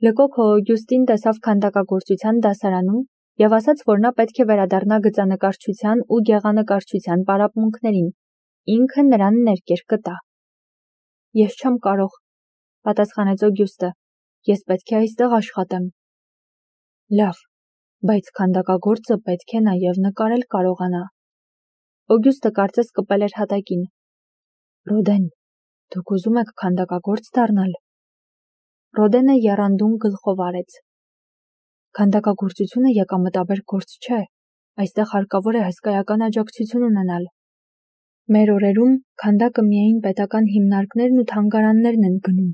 Լկոքը Օգյուստին տեսավ քանդակագործության դասարանում և ասաց, որ նա պետք է վերադառնա գծանկարչության ու գեղանկարչության պարապմունքներին, ինքը նրան ներկեր կտա։ Ես չեմ կարող, պատասխանեց Օգյուստը, ես պետք է այստեղ աշխատեմ։ Լավ, բայց քանդակագործը պետք է նաև նկարել կարողանա։ Օգյուստը կարծես կպել էր հատակին։ Ռոդեն, դուք ուզում եք քանդակագործ դառնալ։ Ռոդենը եռանդուն գլխով արեց։ Քանդակագործությունը եկամտաբեր գործ չէ, այստեղ հարկավոր է հսկայական աջակցություն ունենալ։ Մեր օրերում քանդակը միայն պետական հիմնարկներն ու թանգարաններն են գնում։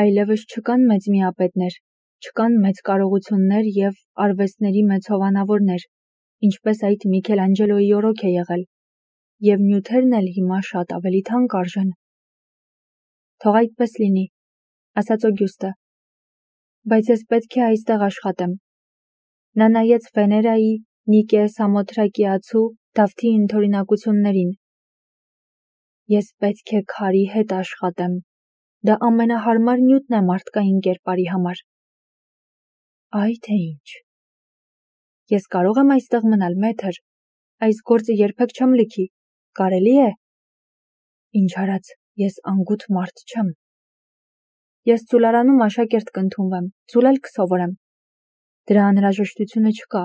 Այլևս չկան մեծ միապետներ, չկան մեծ կարողություններ և արվեստների մեծ հովանավորներ, ինչպես այդ Միքելանջելոյի օրոք է եղել, և նյութերն էլ հիմա շատ ավելի թանկ արժեն։ Թող այդպես լինի, ասաց Օգյուստը, բայց ես պետք է այստեղ աշխատեմ։ Նա նայեց Վեներայի, Նիկե Սամոթրակիացու, Դավթի ընդօրինակություններին։ Ես պետք է քարի հետ աշխատեմ։ Դա ամենահարմար նյութն է մարդկային կերպարի համար։ Այ թե ինչ։ Ես կարող եմ այստեղ մնալ, մեթր։ Այս գործը երբեք չեմ լքի։ Կարելի է։ Ինչ արած, ես անգութ մարդ չեմ։ Ես ծուլարանում աշակերտ կընդունվեմ, ծուլել կսովորեմ։ Դրա անհրաժեշտությունը չկա,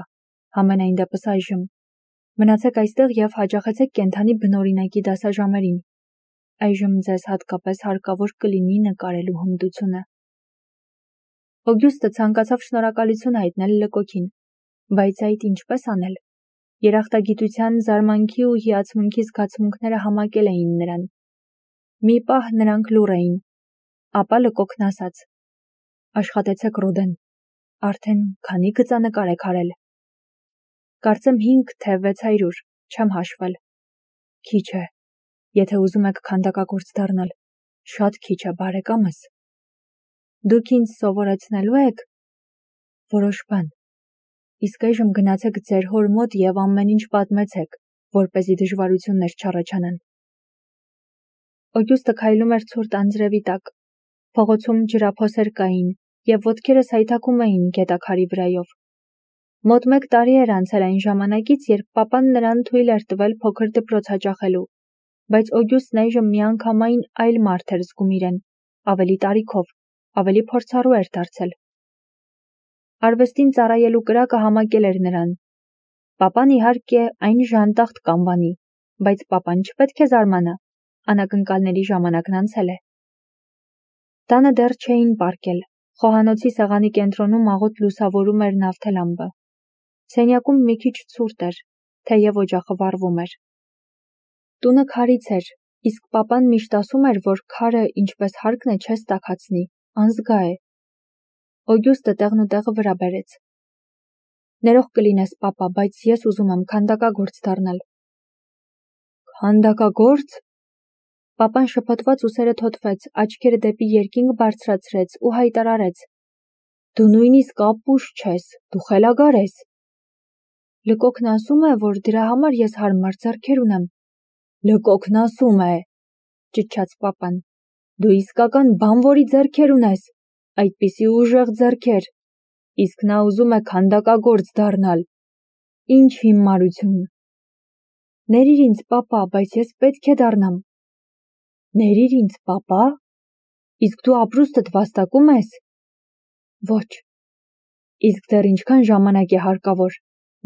համենայն դեպս այժմ։ Մնացեք այստեղ և հաճախեցեք կենդանի բնօրինակի դասաժամերին։ Այժմ ձեզ հատկապես հարկավոր կլինի նկարելու հմտությունը։ Օգյուստը ցանկացավ շնորհակալություն հայտնել Լկոքին, բայց այդ ինչպես անել։ Երախտագիտության, զարմանքի ու հիացմունքի զգացմունքները համակել էին նրան։ Մի պահ նրանք լուռ էին, ապա Լկոքն ասաց. Աշխատեցեք, Ռոդեն, արդեն քանի գծանկար եք արել։ Կարծեմ 5 թե 600, չեմ հաշվել։ Քիչ է, եթե ուզում եք քանդակագործ դառնալ, շատ քիչ է, բարեկամս։ Դուք ինձ սովորեցնելու եք որոշ բան։ Իսկ այժմ գնացեք ձեր հոր մոտ և ամեն ինչ պատմեցեք, որպեսզի դժվարություններ չառաջանան։ Օգյուստը քայլում էր ցուրտ անձրևի տակ։ Փողոցում ջրափոսեր կային և ոտքերը սայթաքում էին գետաքարի վրայով։ Մոտ 1 տարի էր անցել այն ժամանակից, երբ պապան նրան թույլ էր տվել փոքր դպրոց հաճախելու, բայց Օգյուստն այժմ միանգամայն այլ մարդ էր զգում իրեն, ավելի տարիքով, ավելի փորձառու էր դարձել։ Արվեստին ծառայելու կրակը համակել էր նրան։ Պապան իհարկե այն ժանտախտ կանվանի, բայց պապան չպետք է զարմանա, անակնկալների ժամանակն անցել է։ Տանը դեռ չէին պառկել, խոհանոցի սեղանի կենտրոնում աղոտ լուսավորում էր նավթելամպը։ Սենյակում մի քիչ ցուրտ էր, թեև օջախը վառվում էր։ Տունը քարից էր, իսկ պապան միշտ ասում էր, որ քարը, ինչպես հարկն է, չես տաքացնի, անզգա է։ Օգյուստը տեղն ու տեղը վրա բերեց։ Ներող կլինես, պապա, բայց ես ուզում եմ քանդակագործ դառնալ։ Քանդակագործ։ Պապան շփոթված ուսերը թոթվեց, աչքերը դեպի երկինք բարձրացրեց ու հայտարարեց. Դու նույնիսկ ապուշ չես, դու խելագար ես։ Լկոքն ասում է, որ դրա համար ես հարմար ձեռքեր ունեմ։ Լկոքն ասում է, ճչաց պապան, դու իսկական բանվորի ձեռքեր ունես, այդպիսի ուժեղ ձեռքեր, իսկ նա ուզում է քանդակագործ դառնալ։ Ինչ հիմարություն։ Ներիր ինձ, պապա, բայց ես պետք է դառնամ։ Ներիր ինձ, պապա։ Իսկ դու ապրուստդ վաստակում ես։ Ոչ։ Իսկ դեռ ինչքան ժամանակ է հարկավոր։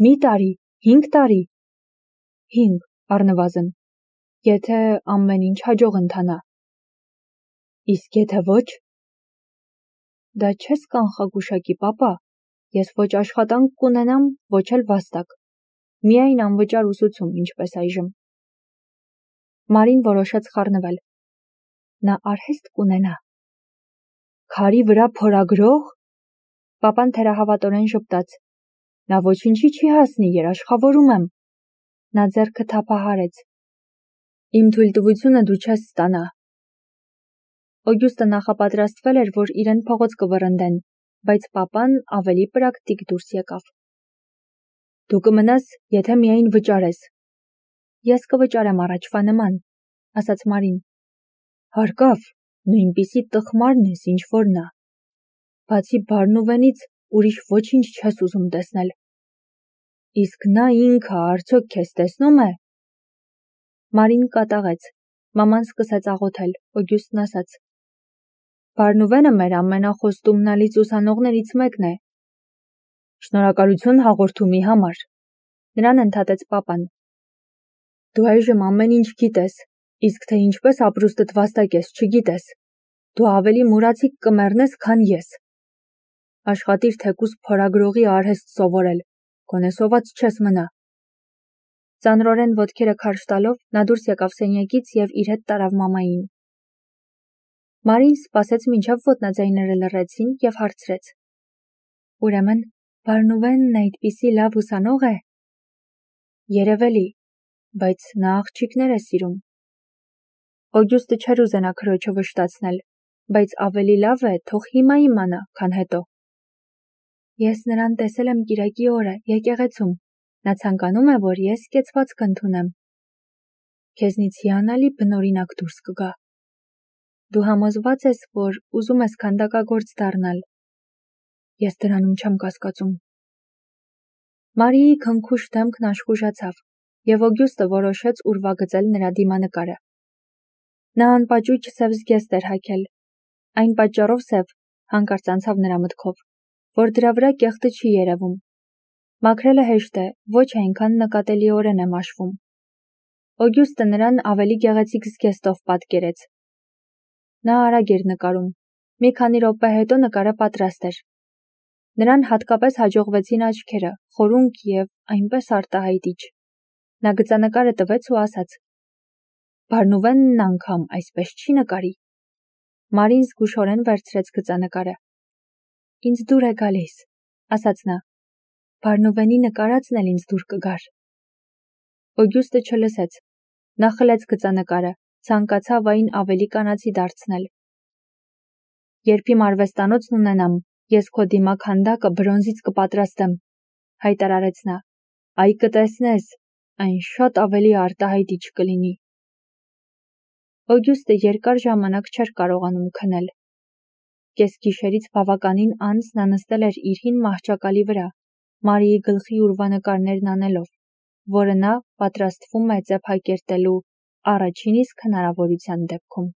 Մի տարի, 5 տարի։ 5, առնվազն, եթե ամեն ինչ հաջող ընթանա։ Իսկ եթե ոչ։ Դա չես կանխագուշակի, պապա, ես ոչ աշխատանք կունենամ, ոչ էլ վաստակ, միայն անվճար ուսուցում, ինչպես այժմ։ Մարին որոշեց խառնվել։ Նա արհեստ կունենա։ Քարի վրա փորագրող։ Պապան թերահավատորեն ժպտաց։ Նա ոչինչի չի հասնի, երաշխավորում եմ։ Նա ձեռքը թափահարեց։ Իմ թույլտվությունը դու չես ստանա։ Օգյուստը նախապատրաստվել էր, որ իրեն փողոց կվռնդեն, բայց պապան ավելի պրակտիկ դուրս եկավ։ Դու կմնաս, եթե միայն վճարես։ Ես կվճարեմ առաջվա նման, ասաց Մարին։ Հարկավ, նույնպիսի տխմարն ես, ինչ որ նա։ Բացի Բարնուվենից ուրիշ ոչինչ չես ուզում տեսնել։ Իսկ նա ինքը արդյոք քեզ տեսնում է։ Մարին կատաղեց, մաման սկսեց աղոթել, Օգյուստն ասաց. Բարնուվենը մեր ամենախոստումնալից ուսանողներից մեկն է։ Շնորհակալություն հաղորդումի համար, նրան ընդհատեց պապան։ Դու այժմ ամեն ինչ գիտես, իսկ թե ինչպես ապրուստդ վաստակես չգիտես։ Դու ավելի մուրացիկ կմեռնես, քան ես։ Աշխատիր թեկուզ փորագրողի արհեստ սովորել, գոնե սոված չես մնա։ Ծանրորեն ոտքերը քարշ տալով նա դուրս եկավ սենյակից և իր հետ տարավ մամային։ Մարին սպասեց մինչև ոտնաձայները լռեցին և հարցրեց. Ուրեմն Բարնուվենն այդպիսի լավ ուսանող է։ Երևելի, բայց նա աղջիկներ է սիրում։ Օգյուստը չէր ուզենա քրոջը վշտացնել, բայց ավելի լավ է թող հիմա իմանա, քան հետո։ Ես նրան տեսել եմ կիրակի օրը եկեղեցում, նա ցանկանում է, որ ես կեցվածք ընդունեմ։ Քեզնից հիանալի բնօրինակ դուրս կգա։ Դու համոզված ես, որ ուզում ես քանդակագործ դառնալ։ Ես դրանում չեմ կասկածում։ Մարիի քնքուշ դեմքն աշխուժացավ, և Օգյուստը որոշեց ուրվագծել նրա դիմանկարը։ Նա անպաճույճ սև զգեստ էր հագել։ Այն պատճառով սև, հանկարծ անցավ նրա մտքով, որ դրա վրա կեղտը չի երևում։ Մաքրելը հեշտ է, ոչ այնքան նկատելիորեն է մաշվում։ Օգյուստը նրան ավելի գեղեցիկ զգեստով պատկերեց։ Նա արագ էր նկարում։ Մի քանի րոպե հետո նկարը պատրաստ էր։ Նրան հատկապես հաջողվեցին աչքերը, խորունկ և այնպես արտահայտիչ։ Նա գծանկարը տվեց ու ասաց. Բարնուվենն անգամ այսպես չի նկարի։ Մարին զգուշորեն վերցրեց գծանկարը։ Ինձ դուր է գալիս, ասաց նա։ Բարնուվենի նկարածն էլ ինձ դուր կգար։ Օգյուստը չլսեց։ Նա խլեց գծանկարը, ցանկացավ այն ավելի կանացի դարձնել։ Երբ իմ արվեստանոցն ունենամ, ես քո դիմաքանդակը բրոնզից կպատրաստեմ, հայտարարեց նա։ Այ կտեսնես, այն շատ ավելի արտահայտիչ կլինի։ Օգյուստը երկար ժամանակ չէր կարողանում քնել։ Կեսգիշերից բավականին անց նա նստել էր իր հին մահճակալի վրա, Մարիի գլխի ուրվանկարներն անելով, որը նա պատրաստվում է ծեփակերտելու առաջին իսկ հնարավորության դեպքում։